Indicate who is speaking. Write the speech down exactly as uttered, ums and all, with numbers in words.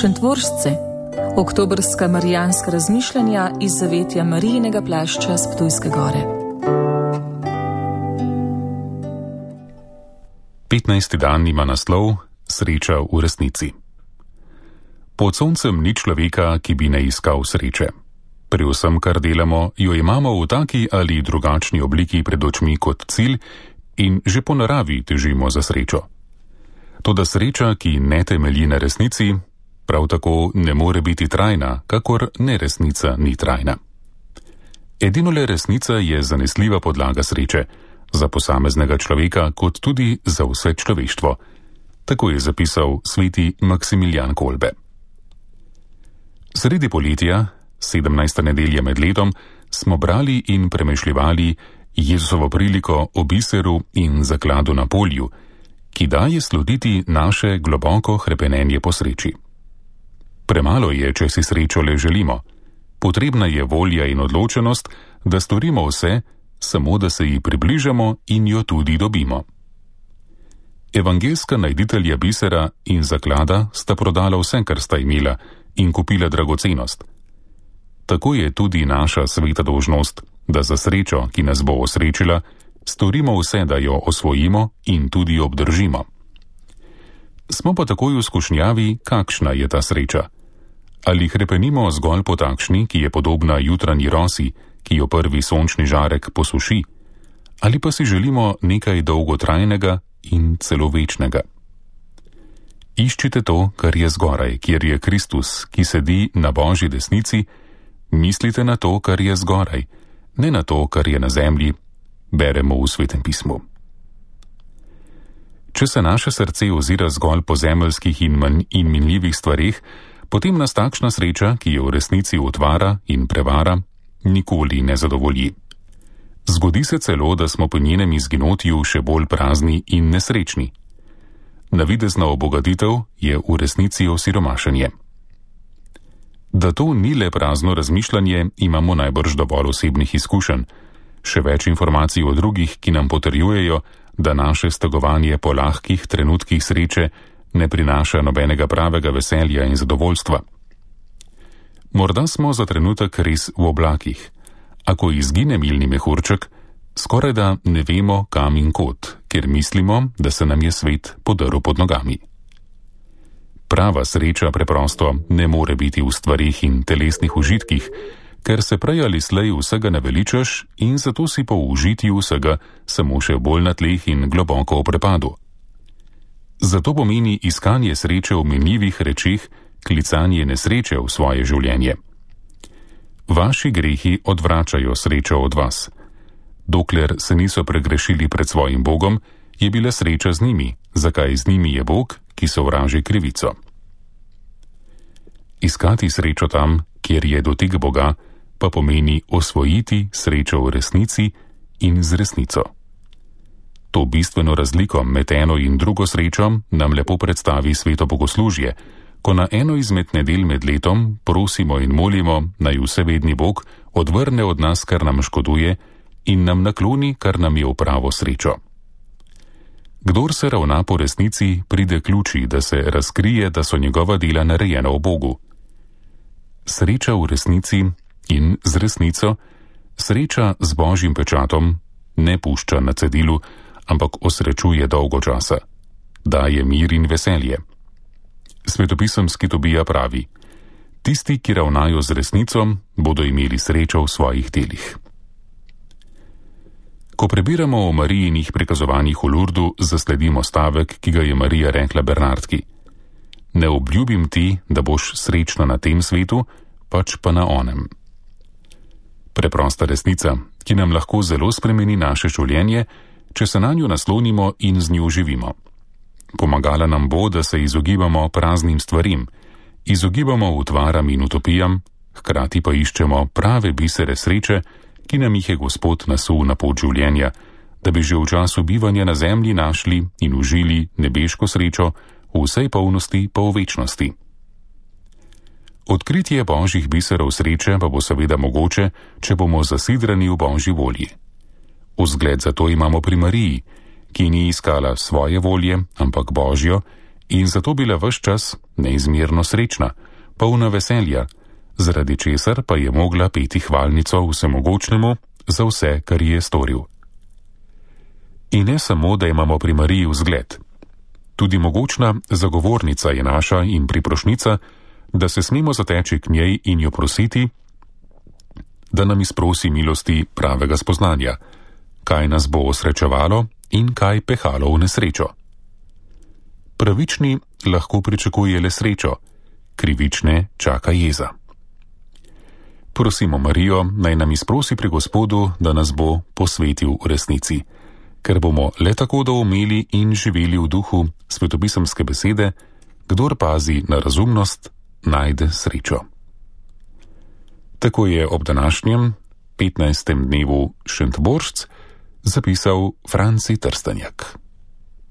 Speaker 1: Šentvoržce, oktobrska marijanska razmišljanja iz zavetja Marijinega plašča s Ptujske gore.
Speaker 2: petnajsti dan ima naslov Sreča v resnici. Pod soncem ni človeka, ki bi ne iskal sreče. Pri vsem, kar delamo, jo imamo v taki ali drugačni obliki pred očmi kot cilj in že po naravi težimo za srečo. Toda sreča, ki ne temelji na resnici, prav tako ne more biti trajna, kakor neresnica ni trajna. Edino le resnica je zanesljiva podlaga sreče, za posameznega človeka kot tudi za vse človeštvo. Tako je zapisal sveti Maksimilijan Kolbe. Sredi poletja, sedemnajsta nedelja med letom, smo brali in premešljivali Jezusovo priliko o biseru in zakladu na polju, ki daje slutiti naše globoko hrepenenje po sreči. Premalo je, če si srečo le želimo. Potrebna je volja in odločenost, da storimo vse, samo da se ji približamo in jo tudi dobimo. Evangelska najditelja bisera in zaklada sta prodala vse, kar sta imela, in kupila dragocenost. Tako je tudi naša sveta dolžnost, da za srečo, ki nas bo osrečila, storimo vse, da jo osvojimo in tudi obdržimo. Smo pa takoj v skušnjavi, kakšna je ta sreča. Ali hrepenimo zgolj po takšni, ki je podobna jutranji rosi, ki jo prvi sončni žarek posuši, ali pa si želimo nekaj dolgotrajnega in celo večnega. Iščite to, kar je zgoraj, kjer je Kristus, ki sedi na Božji desnici, mislite na to, kar je zgoraj, ne na to, kar je na zemlji, beremo v Svetem pismu. Če se naše srce ozira zgolj po zemeljskih in, manj, in minljivih stvareh, potem nas takšna sreča, ki je v resnici utvara in prevara, nikoli ne zadovolji. Zgodi se celo, da smo po njenem izginotju še bolj prazni in nesrečni. Navidezna obogatitev je v resnici osiromašenje. Da to ni le prazno razmišljanje, imamo najbrž dovolj osebnih izkušenj, še več informacij o drugih, ki nam potrjujejo, da naše stegovanje po lahkih trenutkih sreče ne prinaša nobenega pravega veselja in zadovoljstva. Morda smo za trenutek res v oblakih. Ako izgine milni mehurček, skoraj da ne vemo kam in kot, ker mislimo, da se nam je svet podrl pod nogami. Prava sreča preprosto ne more biti v stvarih in telesnih užitkih, ker se prej ali slej vsega naveličaš in zato si po užitju vsega samo še bolj na tleh in globoko v prepadu. Zato pomeni iskanje sreče v minljivih rečeh klicanje nesreče v svoje življenje. Vaši grehi odvračajo srečo od vas. Dokler se niso pregrešili pred svojim Bogom, je bila sreča z njimi, zakaj z njimi je Bog, ki sovraži krivico. Iskati srečo tam, kjer je dotik Boga, pa pomeni osvojiti srečo v resnici in z resnico. To bistveno razliko med eno in drugo srečo nam lepo predstavi sveto bogoslužje, ko na eno izmed nedelj med letom prosimo in molimo, naj vsevedni Bog odvrne od nas, kar nam škoduje, in nam nakloni, kar nam je v pravo srečo. Kdor se ravna po resnici, pride k luči, da se razkrije, da so njegova dela narejena v Bogu. Sreča v resnici in z resnico, sreča z Božjim pečatom, ne pušča na cedilu, ampak osrečuje dolgo časa. Daje mir in veselje. Svetopisemski Tobija pravi: tisti, ki ravnajo z resnico, bodo imeli srečo v svojih delih. Ko prebiramo o Marijinih prikazovanjih v Lurdu, zasledimo stavek, ki ga je Marija rekla Bernardki: ne obljubim ti, da boš srečna na tem svetu, pač pa na onem. Preprosta resnica, ki nam lahko zelo spremeni naše življenje, če se na njo naslonimo in z njo živimo. Pomagala nam bo, da se izogibamo praznim stvarim, izogibamo utvaram in utopijam, hkrati pa iščemo prave bisere sreče, ki nam jih je Gospod nasul na pot življenja, da bi že v času bivanja na zemlji našli in užili nebeško srečo v vsej polnosti pa v večnosti. Odkritje Božjih biserov sreče pa bo seveda mogoče, če bomo zasidrani v Božji volji. Vzgled za to imamo pri Mariji, ki ni iskala svoje volje, ampak Božjo, in zato bila ves čas neizmerno srečna, polna veselja, zaradi česar pa je mogla peti hvalnico vsemogočnemu za vse, kar je storil. In ne samo, da imamo pri Mariji vzgled. Tudi mogočna zagovornica je naša in priprošnica, da se smemo zateči k njej in jo prositi, da nam izprosi milosti pravega spoznanja, kaj nas bo osrečevalo in kaj pehalo v nesrečo. Pravični lahko pričakuje le srečo, krivične čaka jeza. Prosimo Marijo, naj nam izprosi pri Gospodu, da nas bo posvetil v resnici, ker bomo le tako doumeli in živeli v duhu svetopisemske besede, kdor pazi na razumnost, najde srečo. Tako je ob današnjem, petnajstem dnevu Šentbožc, zapisal Franci Trstenjak.